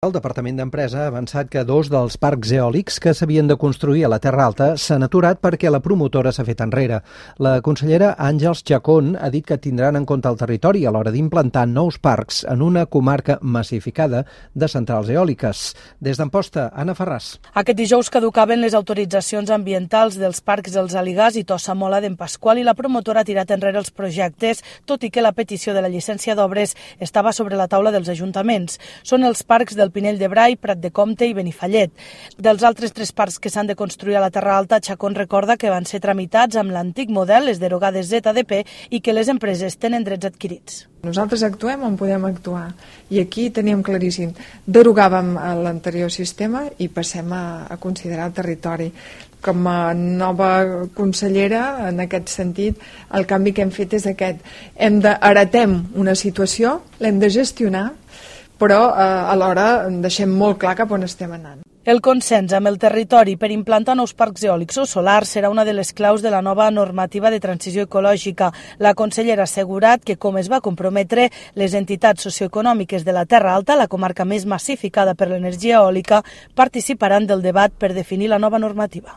El Departament d'Empresa ha avançat que 2 dels parcs eòlics que s'havien de construir a la Terra Alta s'han aturat perquè la promotora s'ha fet enrere. La consellera Àngels Chacón ha dit que tindran en compte el territori a l'hora d'implantar nous parcs en una comarca massificada de centrals eòliques. Des d'Amposta, Anna Ferràs. Aquest dijous caducaven les autoritzacions ambientals dels parcs Els Aligars i Tossa Mola d'en Pasqual i la promotora ha tirat enrere els projectes, tot i que la petició de la llicència d'obres estava sobre la taula dels ajuntaments. Són els parcs del Pinell de Brai, Prat de Comte i Benifallet. Dels altres 3 parcs que s'han de construir a la Terra Alta, Chacón recorda que van ser tramitats amb l'antic model, les derogades ZDP, i que les empreses tenen drets adquirits. Nosaltres actuem on podem actuar i aquí teníem claríssim, derogàvem l'anterior sistema i passem a considerar el territori. Com a nova consellera, en aquest sentit, el canvi que hem fet és aquest. Heretem una situació, l'hem de gestionar, però alhora deixem molt clar cap on estem anant. El consens amb el territori per implantar nous parcs eòlics o solars serà una de les claus de la nova normativa de transició ecològica. La consellera ha assegurat que, com es va comprometre, les entitats socioeconòmiques de la Terra Alta, la comarca més massificada per l'energia eòlica, participaran del debat per definir la nova normativa.